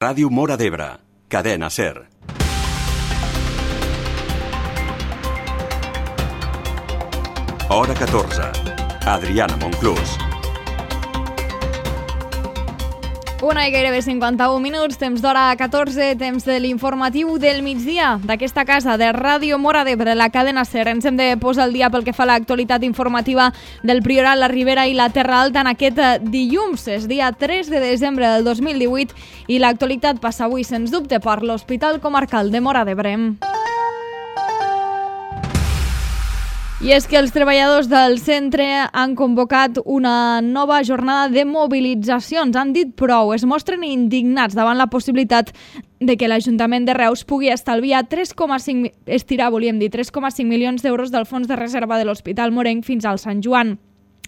Ràdio Móra d'Ebre, Cadena SER. Hora 14. Adriana Monclús. Una i gairebé 51 minuts, temps d'hora 14, temps de l'informatiu del migdia d'aquesta casa de Ràdio Móra d'Ebre, la Cadena SER. Ens hem de posar al dia pel que fa a l'actualitat informativa del Priorat, la Ribera i la Terra Alta en aquest dilluns. És dia 3 de desembre del 2018 i l'actualitat passa avui, sens dubte, per l'Hospital Comarcal de Móra d'Ebre. I és que els treballadors del centre han convocat una nova jornada de mobilitzacions. Han dit prou, es mostren indignats davant la possibilitat de que l'Ajuntament de Reus pugui estalviar 3,5 milions d'euros del fons de reserva de l'Hospital Morenc fins al Sant Joan.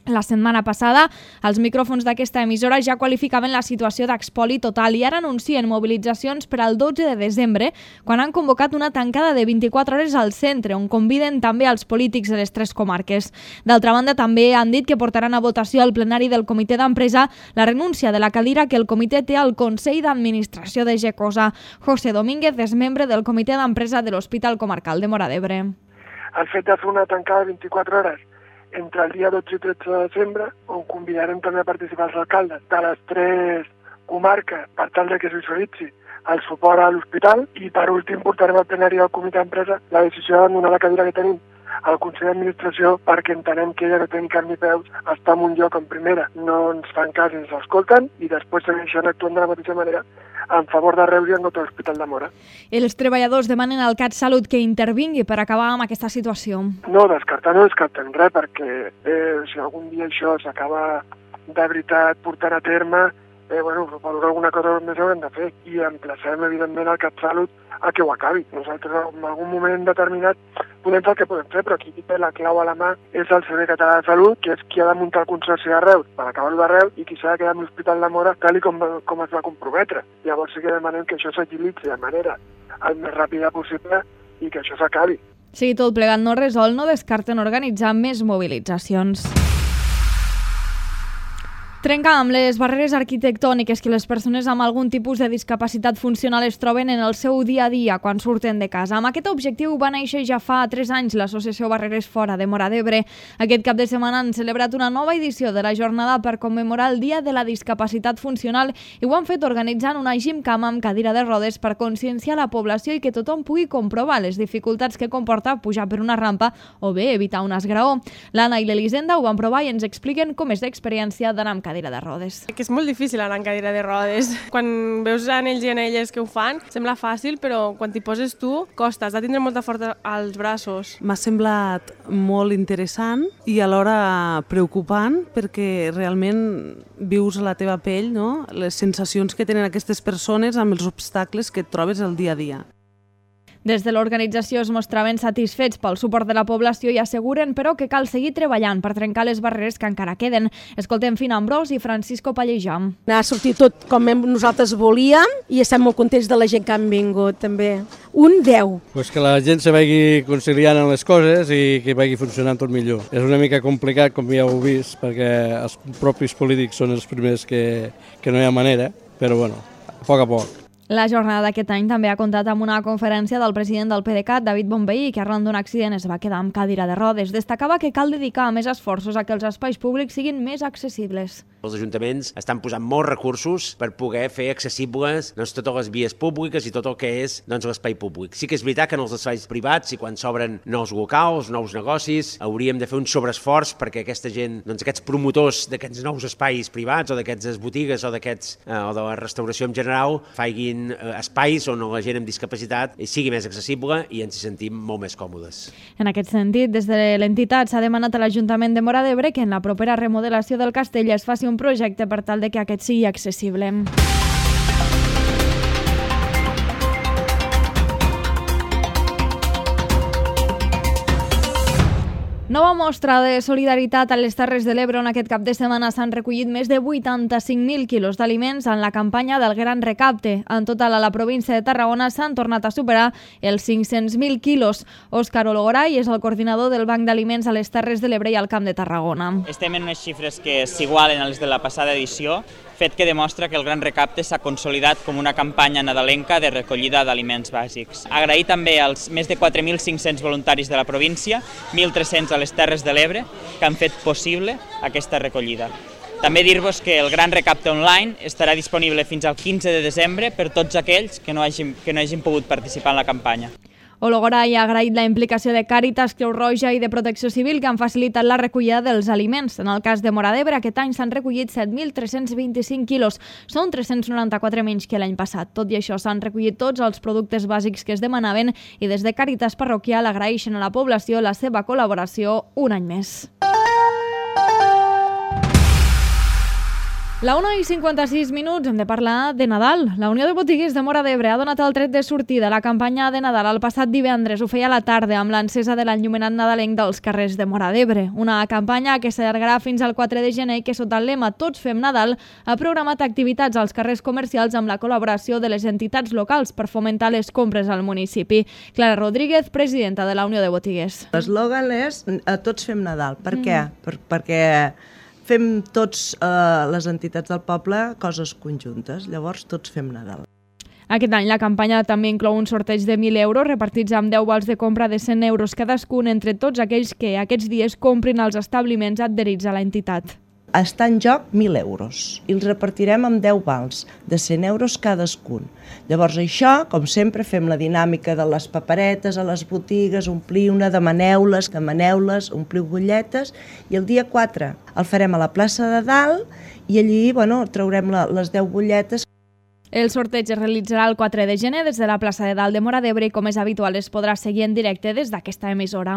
La setmana passada, els micròfons d'aquesta emissora ja qualificaven la situació d'expoli total i ara anuncien mobilitzacions per al 12 de desembre, quan han convocat una tancada de 24 hores al centre, on conviden també els polítics de les tres comarques. D'altra banda, també han dit que portaran a votació al plenari del comitè d'empresa la renúncia de la cadira que el comitè té al Consell d'Administració de GECOSA. José Domínguez és membre del comitè d'empresa de l'Hospital Comarcal de Móra d'Ebre. El fet de fer una tancada de 24 hores entre el dia 12 i 13 de desembre, on convidarem també a participar els alcaldes de les tres comarques per tal de que es visualitzi el suport a l'hospital, i per últim portarem al plenari del comitè d'empresa la decisió d'abandonar la cadira que tenim al Consell d'Administració, perquè entenem que ella no té ni cap ni peus, està en un lloc en primera, no ens fan cas, ens escolten i després segueixen actuant de la mateixa manera en favor de Reus i en contra de l'Hospital de Móra. Els treballadors demanen al CatSalut que intervingui per acabar amb aquesta situació. No descartem res, perquè si algun dia això s'acaba de veritat portant a terme, per alguna cosa més haurem de fer, i emplacem evidentment al CatSalut a que ho acabi. Nosaltres en algun moment determinat podem fer el que podem fer, però qui té la clau a la mà és el Servei Català de Salut, que és qui ha de muntar el consorci de Reus per acabar-ho de Reus i qui s'ha de quedar amb l'Hospital de Móra tal com es va comprometre. Llavors sí que demanem que això s'agilitzi de manera el més ràpida possible i que això s'acabi. Si tot plegat no resol, no descarten organitzar més mobilitzacions. Trencar amb les barreres arquitectòniques que les persones amb algun tipus de discapacitat funcional es troben en el seu dia a dia quan surten de casa. Amb aquest objectiu va néixer ja fa 3 anys l'associació Barreres Fora de Móra d'Ebre. Aquest cap de setmana han celebrat una nova edició de la jornada per commemorar el Dia de la Discapacitat Funcional i ho han fet organitzant una gimcama amb cadira de rodes per conscienciar la població i que tothom pugui comprovar les dificultats que comporta pujar per una rampa o bé evitar un esgraó. L'Anna i l'Elisenda ho van provar i ens expliquen com és l'experiència d'anar amb cadira de rodes. Que és molt difícil anar en cadira de rodes. Quan veus en ells i en elles que ho fan, sembla fàcil, però quan t'hi poses tu, costa, has de tindre molta força als braços. M'ha semblat molt interessant i alhora preocupant, perquè realment vius a la teva pell, no?, les sensacions que tenen aquestes persones amb els obstacles que et trobes el dia a dia. Des de l'organització es mostraven satisfets pel suport de la població i asseguren, però, que cal seguir treballant per trencar les barreres que encara queden. Escoltem Fina Ambrós i Francisco Pallejà. Ha sortit tot com nosaltres volíem i estem molt contents de la gent que han vingut, també. Un 10. Pues que la gent se vagi conciliant en les coses i que vagi funcionant tot millor. És una mica complicat, com ja heu vist, perquè els propis polítics són els primers que no hi ha manera, però bueno, a poc a poc. La jornada d'aquest any també ha comptat amb una conferència del president del PDeCAT, David Bonvehí, que arran d'un accident es va quedar amb cadira de rodes. Destacava que cal dedicar més esforços a que els espais públics siguin més accessibles. Els ajuntaments estan posant molts recursos per poder fer accessibles totes les vies públiques i tot el que és l'espai públic. Sí que és veritat que en els espais privats i quan s'obren nous locals, nous negocis, hauríem de fer un sobreesforç perquè aquesta gent, aquests promotors d'aquests nous espais privats o d'aquestes botigues o de la restauració en general, facin espais on la gent amb discapacitat sigui més accessible i ens hi sentim molt més còmodes. En aquest sentit, des de l'entitat s'ha demanat a l'Ajuntament de Móra d'Ebre que en la propera remodelació del castell es faci un projecte per tal de que aquest sigui accessible. Nova mostra de solidaritat a les Terres de l'Ebre, on aquest cap de setmana s'han recollit més de 85.000 quilos d'aliments en la campanya del Gran Recapte. En total, a la província de Tarragona s'han tornat a superar els 500.000 quilos. Òscar Ologoray és el coordinador del Banc d'Aliments a les Terres de l'Ebre i al Camp de Tarragona. Estem en unes xifres que s'igualen a les de la passada edició. fet que demostra que el Gran Recapte s'ha consolidat com una campanya nadalenca de recollida d'aliments bàsics. Agrair també als més de 4.500 voluntaris de la província, 1.300 a les Terres de l'Ebre, que han fet possible aquesta recollida. També dir-vos que el Gran Recapte online estarà disponible fins al 15 de desembre per tots aquells que no hagin pogut participar en la campanya. Ologoray ha agraït la implicació de Càritas, Creu Roja i de Protecció Civil que han facilitat la recollida dels aliments. En el cas de Móra d'Ebre, aquest any s'han recollit 7.325 quilos. Són 394 menys que l'any passat. Tot i això, s'han recollit tots els productes bàsics que es demanaven i des de Càritas Parroquial agraeixen a la població la seva col·laboració un any més. La 1:56 hem de parlar de Nadal. La Unió de Botiguers de Móra d'Ebre ha donat el tret de sortida a la campanya de Nadal el passat divendres. Ho feia a la tarda amb l'encesa de l'enllumenat nadalenc dels carrers de Móra d'Ebre. Una campanya que s'allargarà fins al 4 de gener i que sota el lema Tots fem Nadal ha programat activitats als carrers comercials amb la col·laboració de les entitats locals per fomentar les compres al municipi. Clara Rodríguez, presidenta de la Unió de Botiguers. L'eslògan és Tots fem Nadal. Per què? Perquè fem tots les entitats del poble coses conjuntes, llavors tots fem Nadal. Aquest any la campanya també inclou un sorteig de 1.000 euros repartits amb 10 vals de compra de 100 euros cadascun entre tots aquells que aquests dies comprin als establiments adherits a l'entitat. Està en joc 1.000 euros i els repartirem amb 10 vals de 100 euros cadascun. Llavors això, com sempre, fem la dinàmica de les paperetes a les botigues, ompliu-ne, demaneu-les, ompliu butlletes i el dia 4 el farem a la plaça de Dalt i allí traurem les 10 butlletes. El sorteig es realitzarà el 4 de gener des de la plaça de Dalt de Móra d'Ebre i com és habitual es podrà seguir en directe des d'aquesta emissora.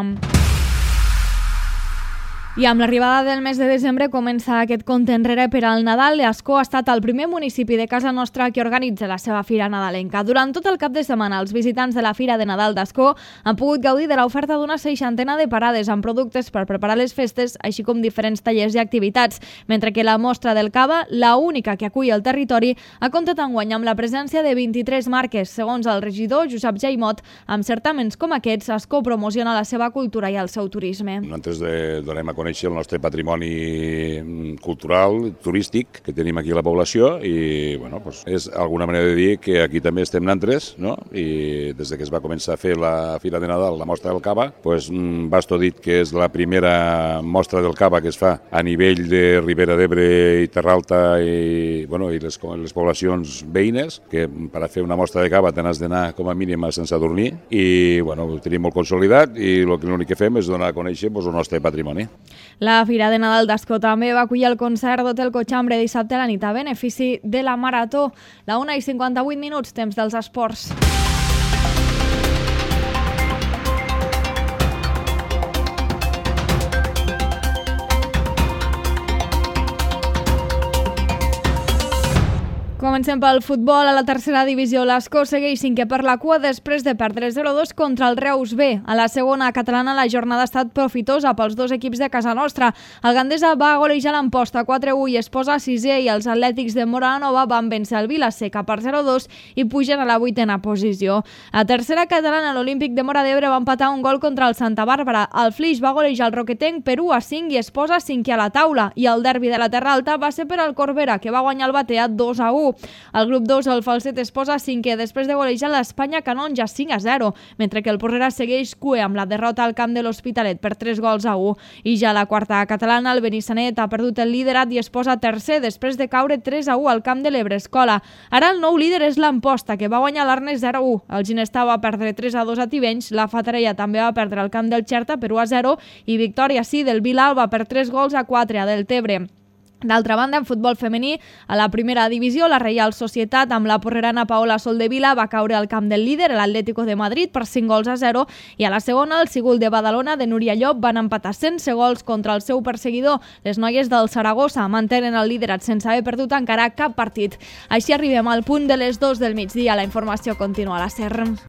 I amb l'arribada del mes de desembre comença aquest compte enrere per al Nadal. Ascó ha estat el primer municipi de casa nostra que organitza la seva fira nadalenca. Durant tot el cap de setmana, els visitants de la Fira de Nadal d'Ascó han pogut gaudir de l'oferta d'una 60 de parades amb productes per preparar les festes, així com diferents tallers i activitats, mentre que la mostra del cava, la única que acull el territori, ha comptat enguany amb la presència de 23 marques. Segons el regidor Josep Jaimot, amb certaments com aquests, Ascó promociona la seva cultura i el seu turisme. Nosaltres donem a conèixer el nostre patrimoni cultural, turístic que tenim aquí a la població i és alguna manera de dir que aquí també estem nantres, no? I des que es va començar a fer la Fira de Nadal, la mostra del cava, Basto ha dit que és la primera mostra del cava que es fa a nivell de Ribera d'Ebre i Terra Alta i les poblacions veïnes, que per a fer una mostra de cava te n'has d'anar com a mínim sense dormir i ho tenim molt consolidat i l'únic que fem és donar a conèixer el nostre patrimoni. La Fira de Nadal d'Ascó també va acollir el concert d'Hotel Cochambre dissabte a la nit a benefici de la Marató. La 1:58, temps dels esports. Comencem pel futbol. A la tercera divisió, l'Ascó segueix cinquè per la cua després de perdre 0-2 contra el Reus B. A la segona catalana, la jornada ha estat profitosa pels dos equips de casa nostra. El Gandesa va golejar l'Amposta 4-1 i es posa sisè i els atlètics de Móra van vèncer el Vila-seca per 0-2 i pugen a la 8a posició. A tercera catalana, l'Olímpic de Móra d'Ebre va empatar un gol contra el Santa Bàrbara. El Flix va golejar el Roquetenc per 1-5 i es posa cinquè a la taula. I el derbi de la Terra Alta va ser per al Corbera, que va guanyar el Batea 2-1. Al grup 2, el Falset es posa cinquè després de golejar l'Espanya Canonja 5-0, mentre que el Porrera segueix cué amb la derrota al camp de l'Hospitalet per 3-1. I ja a la quarta catalana, el Benissanet ha perdut el liderat i es posa tercer després de caure 3-1 al camp de l'Ebre Escola. Ara el nou líder és l'Amposta, que va guanyar l'Arnes 0-1. El Ginestà va perdre 3-2 a Tivenys, la Fatarella també va perdre al camp del Xerta per 1-0 i victòria del Vilalba per 3-4 a Deltebre. D'altra banda, en futbol femení, a la primera divisió, la Reial Societat amb la porrerana Paola Soldevila va caure al camp del líder, l'Atlético de Madrid, per 5-0, i a la segona, el Sigul de Badalona de Núria Llop van empatar sense gols contra el seu perseguidor. Les noies del Saragossa mantenen el liderat sense haver perdut encara cap partit. Així arribem al punt de les 2 del migdia. La informació continua a la SER.